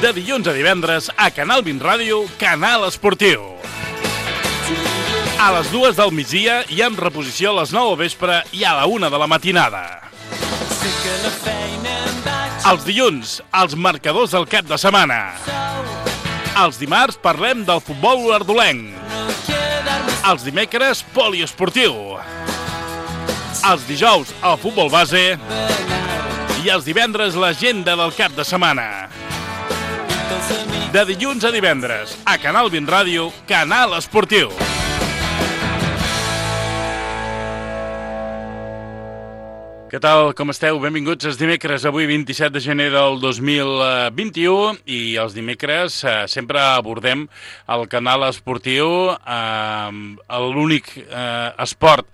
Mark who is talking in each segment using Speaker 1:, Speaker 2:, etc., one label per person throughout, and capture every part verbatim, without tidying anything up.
Speaker 1: de dilluns a divendres a Canal vint Ràdio, Canal Esportiu. A les dues del migdia i en reposició a les nou del vespre i a la una de la matinada. Els dilluns, els marcadors del cap de setmana. Els dimarts parlem del futbol olordolenc. Els dimecres, poliesportiu. Els dijous, el futbol base. I els divendres, l'agenda del cap de setmana. De dilluns a divendres, a Canal vint Ràdio, Canal Esportiu. Què tal, com esteu? Benvinguts els dimecres, avui vint-i-set de gener del dos mil vint-i-u, i els dimecres eh, sempre abordem el Canal Esportiu, eh, l'únic eh, esport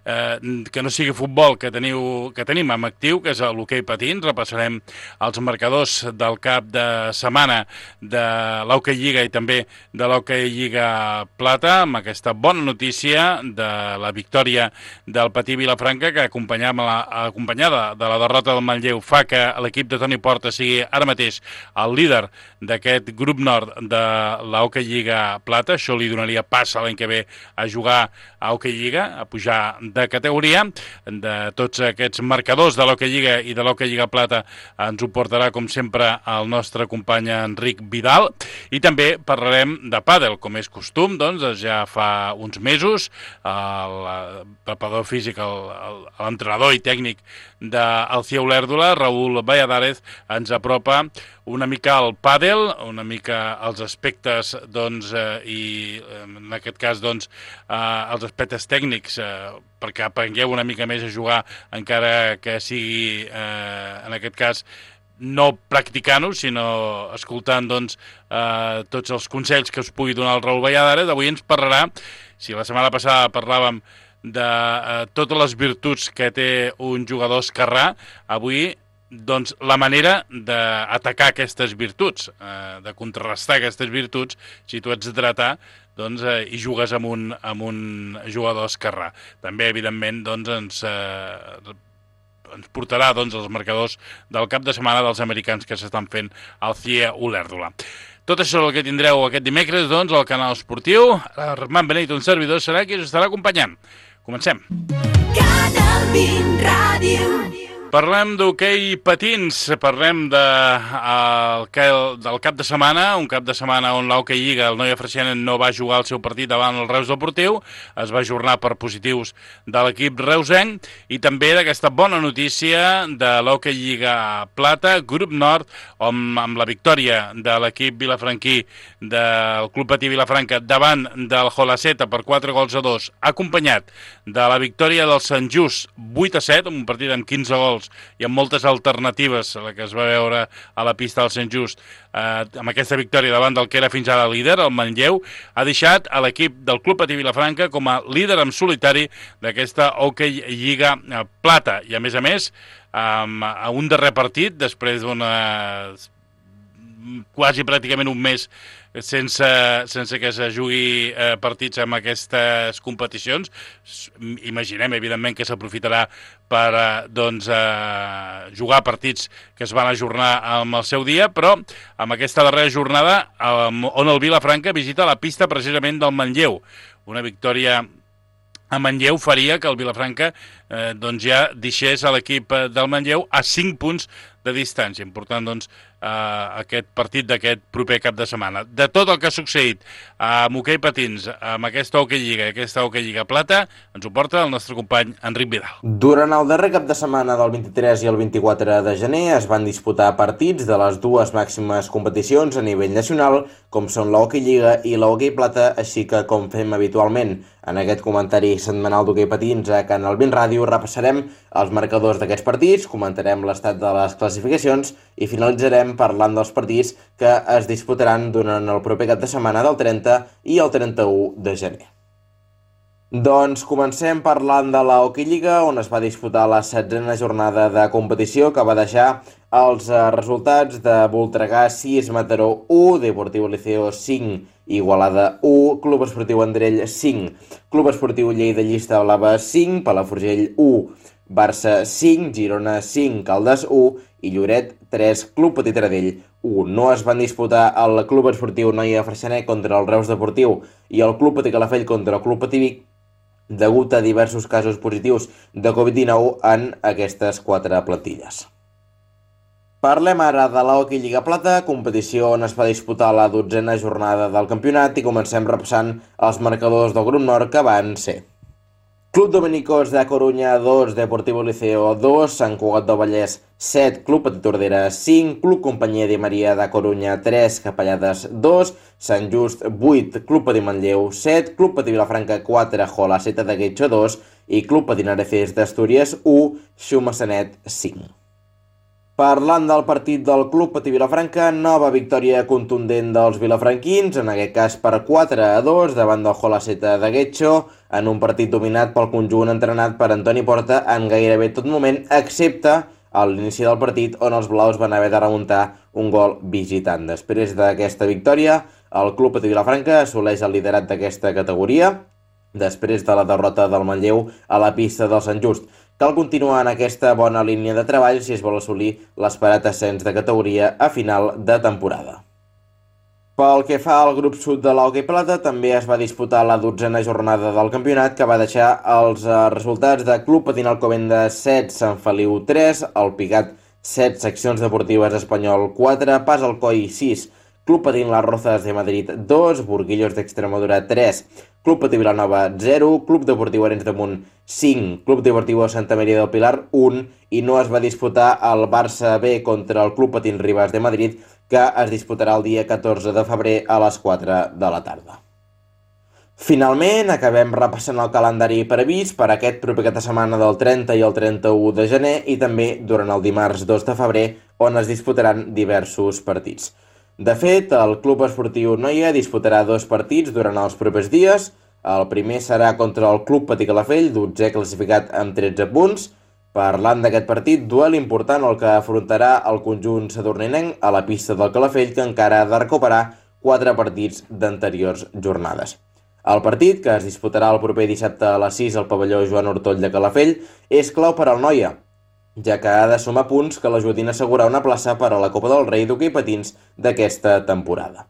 Speaker 1: Eh, que no sigui futbol que, teniu, que tenim en actiu, que és l'hoquei patins. Repassarem els marcadors del cap de setmana de l'Hoquei Lliga i també de l'Hoquei Lliga Plata, amb aquesta bona notícia de la victòria del Patí Vilafranca, que acompanyada, acompanyada de la derrota del Manlleu fa que l'equip de Toni Porta sigui ara mateix el líder d'aquest grup nord de l'Hoquei Lliga Plata. Això li donaria pas l'any que ve a jugar a Hoquei Lliga, a pujar de categoria. De tots aquests marcadors de l'Hoquei Lliga i de l'Hoquei Lliga Plata ens ho portarà, com sempre, el nostre company Enric Vidal. I també parlarem de pàdel, com és costum, doncs, ja fa uns mesos el preparador físic, l'entrenador i tècnic del C I A Olèrdola, Raúl Valladares, ens apropa una mica al pàdel, una mica als aspectes, doncs, eh, i en aquest cas, doncs, eh, els aspectes tècnics, eh, perquè aprengueu una mica més a jugar, encara que sigui, eh, en aquest cas, no practicant-ho, sinó escoltant, doncs, eh, tots els consells que us pugui donar el Raúl Valladares. Avui ens parlarà, si la setmana passada parlàvem de eh, totes les virtuts que té un jugador esquerrà, avui, doncs, la manera d'atacar aquestes virtuts, eh, de contrarrestar aquestes virtuts, si tu ets dretà, doncs, eh, i jugues amb un, amb un jugador esquerrà. També, evidentment, doncs, ens, eh, ens portarà, doncs, els marcadors del cap de setmana dels americans que s'estan fent al C I A Olèrdola. Tot això és el que tindreu aquest dimecres, doncs, al Canal Esportiu. Armand Beneit, un servidor, serà qui us estarà acompanyant. Comencem.
Speaker 2: Canal vint Ràdio.
Speaker 1: Parlem d'hoquei patins, parlem de, el, del cap de setmana, un cap de setmana on l'Hoquei Lliga, el Noia Freixenet, no va jugar el seu partit davant el Reus Deportiu, es va ajornar per positius de l'equip reusenc, i també d'aquesta bona notícia de l'Hoquei Lliga Plata, grup nord, on, amb la victòria de l'equip vilafranquí del Club Patí Vilafranca davant del Jolaceta per quatre gols a dos, acompanyat de la victòria del Sant Just vuit a set, un partit amb quinze gols i amb moltes alternatives, la que es va veure a la pista del Sant Just, eh, amb aquesta victòria davant del que era fins ara líder, el Manlleu, ha deixat a l'equip del Club Patí Vilafranca com a líder en solitari d'aquesta Hoquei Lliga Plata. I a més a més, amb un darrer partit, després d'una quasi pràcticament un mes sense, sense que se jugui eh, partits en aquestes competicions. Imaginem, evidentment, que s'aprofitarà per eh, doncs, eh, jugar partits que es van ajornar amb el seu dia, però amb aquesta darrera jornada eh, on el Vilafranca visita la pista precisament del Manlleu. Una victòria a Manlleu faria que el Vilafranca eh, doncs ja deixés a l'equip del Manlleu a cinc punts de distància. Important, doncs, eh, aquest partit d'aquest proper cap de setmana. De tot el que ha succeït amb hoquei patins, amb aquesta Hoquei Lliga i aquesta Hoquei Lliga Plata, ens ho porta el nostre company Enric Vidal.
Speaker 3: Durant el darrer cap de setmana del vint-i-tres i el vint-i-quatre de gener es van disputar partits de les dues màximes competicions a nivell nacional, com són la Hoquei Lliga i la Hoquei Plata, així que, com fem habitualment en aquest comentari setmanal d'hoquei patins a Canal vint Ràdio, repassarem els marcadors d'aquests partits, comentarem l'estat de les classificacions i finalitzarem parlant dels partits que es disputaran durant el proper cap de setmana del trenta i el trenta-u de gener. Doncs comencem parlant de la Hoquei Lliga, on es va disputar la setzena jornada de competició, que va deixar els resultats de Voltregà sis, Mataró u, Deportiu Liceo cinc, Igualada u, Club Esportiu Vendrell cinc, Club Esportiu Lleida Llista Blava cinc, Palafrugell u, Barça cinc, Girona cinc, Caldes u i Lloret tres, Club Petit Taradell, u. No es van disputar el Club Esportiu Noia Freixenet contra el Reus Deportiu i el Club Petit Calafell contra el Club Patí Vic, degut a diversos casos positius de covid dinou en aquestes quatre plantilles. Parlem ara de l'Hockey Lliga Plata, competició on es va disputar la dotzena jornada del campionat i comencem repassant els marcadors del grup nord que van ser: Club Dominicos de Coruña dos, Deportivo Liceo dos, Sant Cugat del Vallès set, Club Petit Tordera cinc, Club Companyia de Maria de Coruña tres, Capellades dos, Sant Just vuit, Club Petit Manlleu set, Club Petit Vilafranca quatre, Jolaseta de Guetxo dos i Club Petit Areces d'Astúries u, Xumassanet cinc. Parlant del partit del Club Patí Vilafranca, nova victòria contundent dels vilafranquins, en aquest cas per quatre a dos davant del Jolaseta de Guetxo, en un partit dominat pel conjunt entrenat per Antoni Porta en gairebé tot moment, excepte a l'inici del partit on els blaus van haver de remuntar un gol visitant. Després d'aquesta victòria, el Club Patí Vilafranca assoleix el liderat d'aquesta categoria, després de la derrota del Manlleu a la pista del Sant Just. Cal continuar en aquesta bona línia de treball si es vol assolir l'esperat ascens de categoria a final de temporada. Pel que fa al grup sud de l'Hockey Plata, també es va disputar la dotzena jornada del campionat, que va deixar els resultats de Club Patín Alcobendas set, Sant Feliu tres, el Pigat set, Seccions Deportives Espanyol quatre, Pas Alcoi sis, Club Patín Las Rozas de Madrid dos, Burguillos d'Extremadura tres, Club Patí Vilanova zero, Club Deportiu Arenys de Munt cinc, Club Deportiu Santa Maria del Pilar un i no es va disputar el Barça B contra el Club Patín Ribas de Madrid, que es disputarà el dia catorze de febrer a les quatre de la tarda. Finalment, acabem repassant el calendari previst per aquest proper cap de setmana del trenta i el trenta-u de gener i també durant el dimarts dos de febrer, on es disputaran diversos partits. De fet, el Club Esportiu Noia disputarà dos partits durant els propers dies. El primer serà contra el Club Patí Calafell, dotzè classificat amb tretze punts. Parlant d'aquest partit, duel important el que afrontarà el conjunt sadurninenc a la pista del Calafell, que encara ha de recuperar quatre partits d'anteriors jornades. El partit, que es disputarà el proper dissabte a les sis al pavelló Joan Ortoll de Calafell, és clau per al Noia, ja que ha de sumar punts que l'ajudin a assegurar una plaça per a la Copa del Rei d'hoquei patins d'aquesta temporada.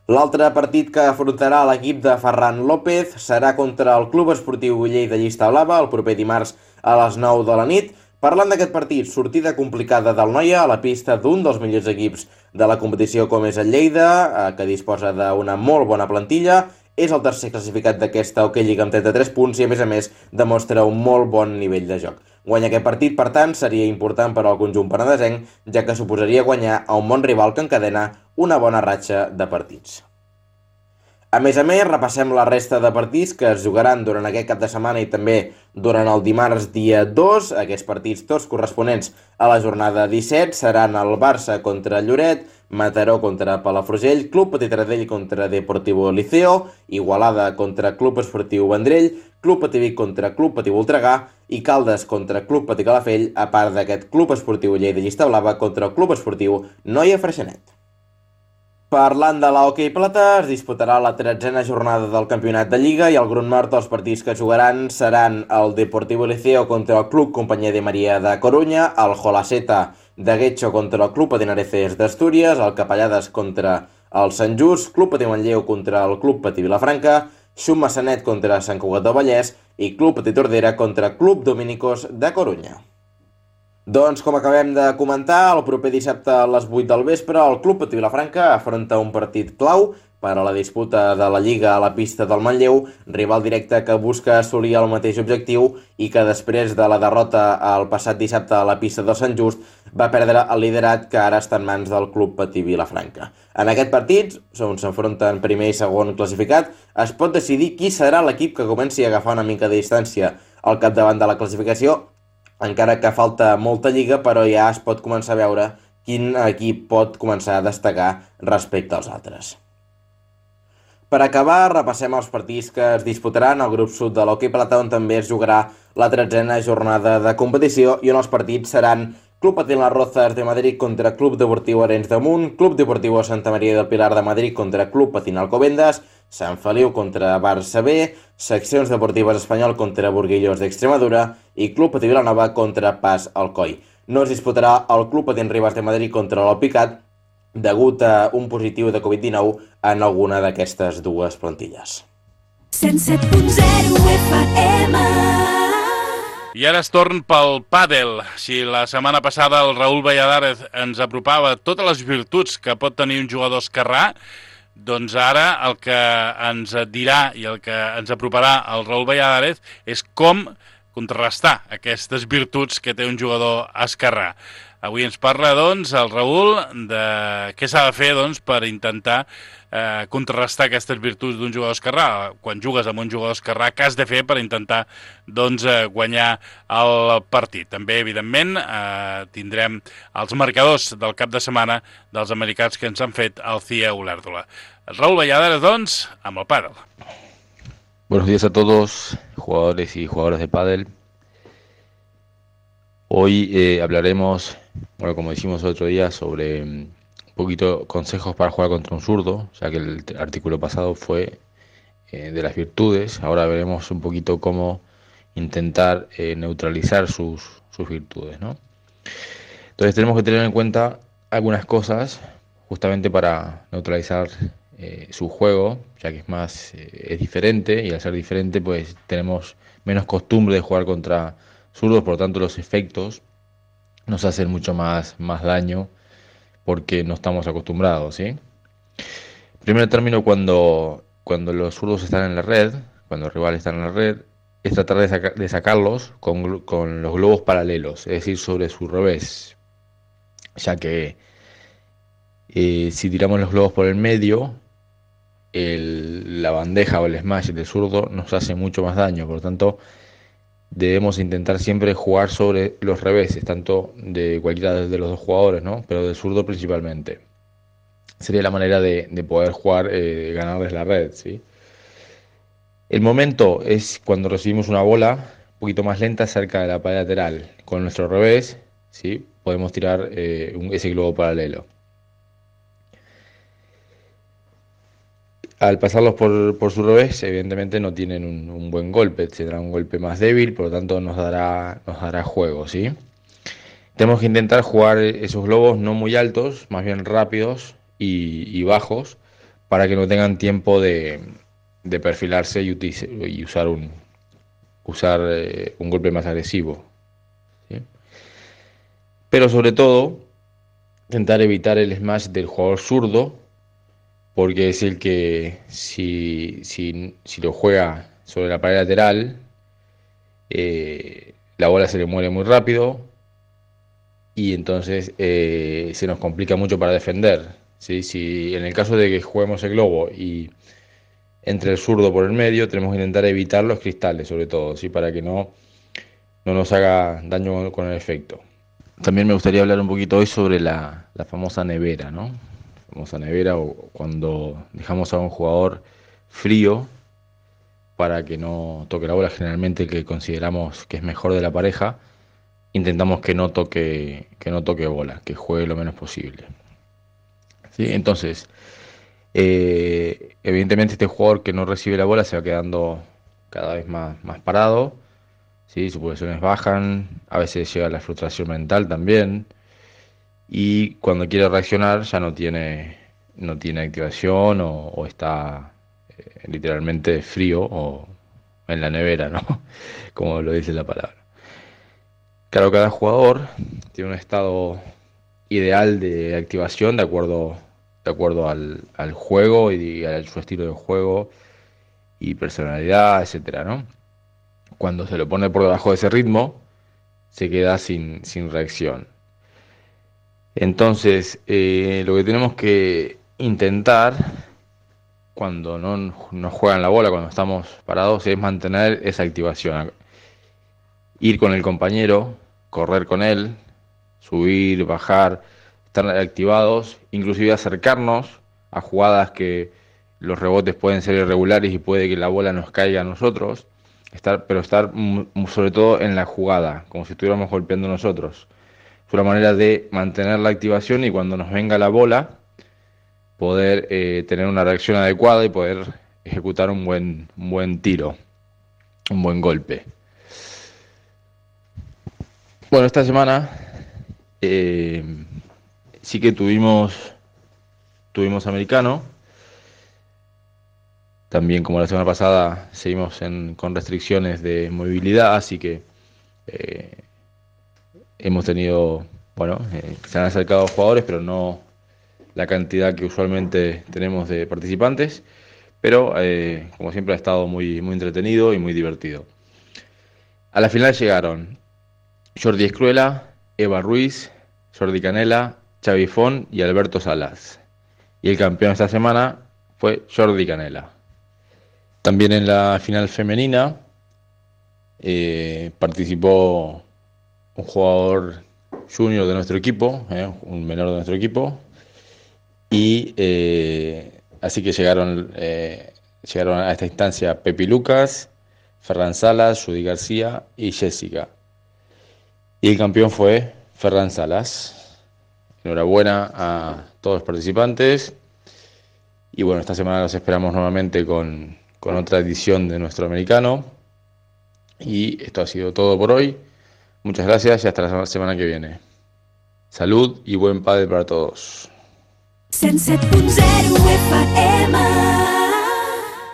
Speaker 3: L'altre partit que afrontarà l'equip de Ferran López serà contra el Club Esportiu Lleida Llista Blava el proper dimarts a les nou de la nit. Parlant d'aquest partit, sortida complicada del Noia a la pista d'un dels millors equips de la competició com és el Lleida, que disposa d'una molt bona plantilla. És el tercer classificat d'aquesta Hockey Lliga amb trenta-tres punts i, a més a més, demostra un molt bon nivell de joc. Guanyar aquest partit, per tant, seria important per al conjunt penedesenc, ja que suposaria guanyar a un bon rival que encadena una bona ratxa de partits. A més a més, repassem la resta de partits que es jugaran durant aquest cap de setmana i també durant el dimarts dia dos. Aquests partits tots corresponents a la jornada disset seran el Barça contra Lloret, Mataró contra Palafrugell, Club Petit Taradell contra Deportivo Liceo, Igualada contra Club Esportiu Vendrell, Club Patí Vic contra Club Patí Voltregà i Caldes contra Club Patí Calafell, a part d'aquest Club Esportiu Lleida Llista Blava contra el Club Esportiu Noia Freixenet. Parlant de l'Hockey Plata, es disputarà la tretzena jornada del campionat de Lliga i al grup nord els partits que jugaran seran el Deportivo Liceo contra el Club Companyia de Maria de Coruña, el Jolaseta de Guetxo contra el Club Patí Areces d'Astúries, el Capellades contra el Sant Just, Club Patí Manlleu contra el Club Patí Vilafranca, Xumassanet contra Sant Cugat del Vallès i Club Patí Tordera contra Club Dominicos de Coruña. Doncs, com acabem de comentar, el proper dissabte a les vuit del vespre, el Club Patí Vilafranca afronta un partit clau per a la disputa de la Lliga a la pista del Manlleu, rival directe que busca assolir el mateix objectiu i que després de la derrota el passat dissabte a la pista del Sant Just va perdre el liderat que ara està en mans del Club Patí Vilafranca. En aquest partit, on s'enfronten primer i segon classificat, es pot decidir qui serà l'equip que comenci a agafar una mica de distància al capdavant de la classificació, encara que falta molta lliga, però ja es pot començar a veure quin equip pot començar a destacar respecte als altres. Per acabar, repassem els partits que es disputaran al grup sud de l'Hockey Plata, on també es jugarà la tretzena jornada de competició i on els partits seran Club Patín Las Rozas de Madrid contra Club Deportiu Arenys de Munt, Club Deportiu Santa Maria del Pilar de Madrid contra Club Patín Alcobendas, Sant Feliu contra Barça B, Seccions Deportives Espanyol contra Burguillos d'Extremadura i Club Patí Vilanova contra Pas Alcoi. no es disputarà el Club Patins Ribas de Madrid contra l'Alpicat degut a un positiu de covid dinou en alguna d'aquestes dues plantilles.
Speaker 2: cent set punt zero F M.
Speaker 1: I ara es torn pel pàdel. Si la setmana passada el Raúl Valladares ens apropava totes les virtuts que pot tenir un jugador esquerrà, doncs ara el que ens dirà i el que ens aproparà el Raúl Valladares és com contrarrestar aquestes virtuts que té un jugador esquerrà. Avui ens parla, doncs, el Raúl de què s'ha de fer, doncs, per intentar eh, contrarrestar aquestes virtuts d'un jugador esquerrà. Quan jugues amb un jugador esquerrà, què has de fer per intentar, doncs, eh, guanyar el partit? També, evidentment, eh, tindrem els marcadors del cap de setmana dels americans que ens han fet el C I E Olèrdola. Raúl Valladares, doncs, amb el pàdel.
Speaker 4: Buenos días a todos, jugadores y jugadoras de pádel. Hoy eh, hablaremos, bueno, como dijimos el otro día, sobre um, un poquito consejos para jugar contra un zurdo, ya que el artículo pasado fue eh, de las virtudes. Ahora veremos un poquito cómo intentar eh, neutralizar sus, sus virtudes, ¿no? Entonces tenemos que tener en cuenta algunas cosas justamente para neutralizar eh, su juego, ya que es más eh, es diferente, y al ser diferente pues tenemos menos costumbre de jugar contra zurdos, por lo tanto los efectos nos hacen mucho más, más daño porque no estamos acostumbrados, ¿sí? Primero término, cuando, cuando los zurdos están en la red, cuando los rivales están en la red, es tratar de, saca, de sacarlos con, con los globos paralelos, es decir, sobre su revés, ya que eh, si tiramos los globos por el medio, el, la bandeja o el smash del zurdo nos hace mucho más daño, por lo tanto debemos intentar siempre jugar sobre los reveses, tanto de cualquiera de los dos jugadores, ¿no? Pero del zurdo principalmente. Sería la manera de, de poder jugar, eh, ganarles la red, ¿sí? El momento es cuando recibimos una bola un poquito más lenta cerca de la pared lateral. Con nuestro revés, ¿sí? Podemos tirar eh, un, ese globo paralelo. Al pasarlos por, por su revés, evidentemente no tienen un, un buen golpe, tendrán un golpe más débil, por lo tanto nos dará, nos dará juego, ¿sí? Tenemos que intentar jugar esos globos no muy altos, más bien rápidos y, y bajos, para que no tengan tiempo de, de perfilarse y, utice, y usar, un, usar eh, un golpe más agresivo, ¿sí? Pero sobre todo, intentar evitar el smash del jugador zurdo, porque es el que si, si, si lo juega sobre la pared lateral, eh, la bola se le muere muy rápido y entonces eh, se nos complica mucho para defender, ¿sí? Si en el caso de que juguemos el globo y entre el zurdo por el medio, tenemos que intentar evitar los cristales, sobre todo, ¿sí? Para que no, no nos haga daño con el efecto. También me gustaría hablar un poquito hoy sobre la, la famosa nevera, ¿no? famosa nevera, o cuando dejamos a un jugador frío para que no toque la bola, generalmente el que consideramos que es mejor de la pareja, intentamos que no toque, que no toque bola, que juegue lo menos posible, ¿sí? Entonces, eh, evidentemente este jugador que no recibe la bola se va quedando cada vez más, más parado, ¿sí? Sus pulsaciones bajan, a veces llega la frustración mental también, y cuando quiere reaccionar ya no tiene, no tiene activación o, o está eh, literalmente frío o en la nevera, ¿no? Como lo dice la palabra. Claro, cada jugador tiene un estado ideal de activación de acuerdo, de acuerdo al, al juego y a su estilo de juego y personalidad, etcétera, ¿no? Cuando se lo pone por debajo de ese ritmo, se queda sin, sin reacción. Entonces, eh, lo que tenemos que intentar cuando no nos juegan la bola, cuando estamos parados, es mantener esa activación. Ir con el compañero, correr con él, subir, bajar, estar activados, inclusive acercarnos a jugadas que los rebotes pueden ser irregulares y puede que la bola nos caiga a nosotros, estar, pero estar sobre todo en la jugada, como si estuviéramos golpeando nosotros. Es una manera de mantener la activación y cuando nos venga la bola, poder eh, tener una reacción adecuada y poder ejecutar un buen, un buen tiro, un buen golpe. Bueno, esta semana eh, sí que tuvimos, tuvimos americano. También, como la semana pasada, seguimos en, con restricciones de movilidad, así que eh, hemos tenido, bueno, eh, se han acercado jugadores, pero no la cantidad que usualmente tenemos de participantes. Pero, eh, como siempre, ha estado muy, muy entretenido y muy divertido. A la final llegaron Jordi Escruela, Eva Ruiz, Jordi Canela, Xavi Font y Alberto Salas. Y el campeón esta semana fue Jordi Canela. También en la final femenina eh, participó un jugador junior de nuestro equipo, eh, un menor de nuestro equipo, y eh, así que llegaron, eh, llegaron a esta instancia Pepi Lucas, Ferran Salas, Judy García y Jessica. Y el campeón fue Ferran Salas. Enhorabuena a todos los participantes. Y bueno, esta semana los esperamos nuevamente con, con otra edición de nuestro americano. Y esto ha sido todo por hoy. Muchas gracias y hasta la semana que viene. Salud i buen pàdel per a tots.
Speaker 2: cent set punt zero F M.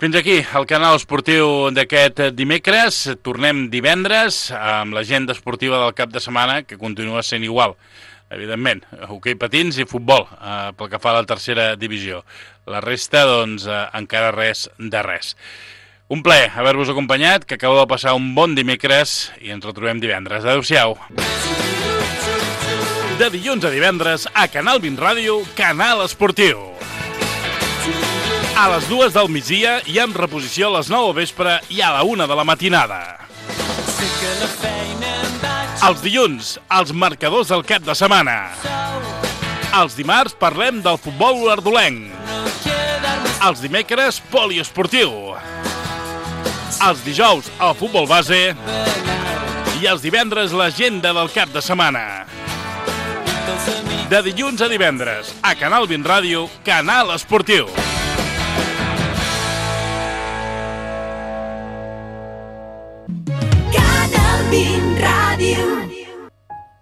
Speaker 1: Fins aquí el canal esportiu d'aquest dimecres. Tornem divendres amb l'agenda esportiva del cap de setmana, que continua sent igual, evidentment. Hoquei patins i futbol, eh, pel que fa a la tercera divisió. La resta, doncs, eh, encara res de res. Un plaer haver-vos acompanyat, que acabeu de passar un bon dimecres i ens retrobem divendres. Adéu-siau. De dilluns a divendres, a Canal vint Ràdio, Canal Esportiu. A les dues del migdia i amb reposició a les nou del vespre i a la una de la matinada. Els dilluns, els marcadors del cap de setmana. Els dimarts parlem del futbol olordolenc. Els dimecres, poliesportiu. Els dijous, el futbol base. I els divendres, l'agenda del cap de setmana. De dilluns a divendres, a Canal vint Ràdio, Canal Esportiu.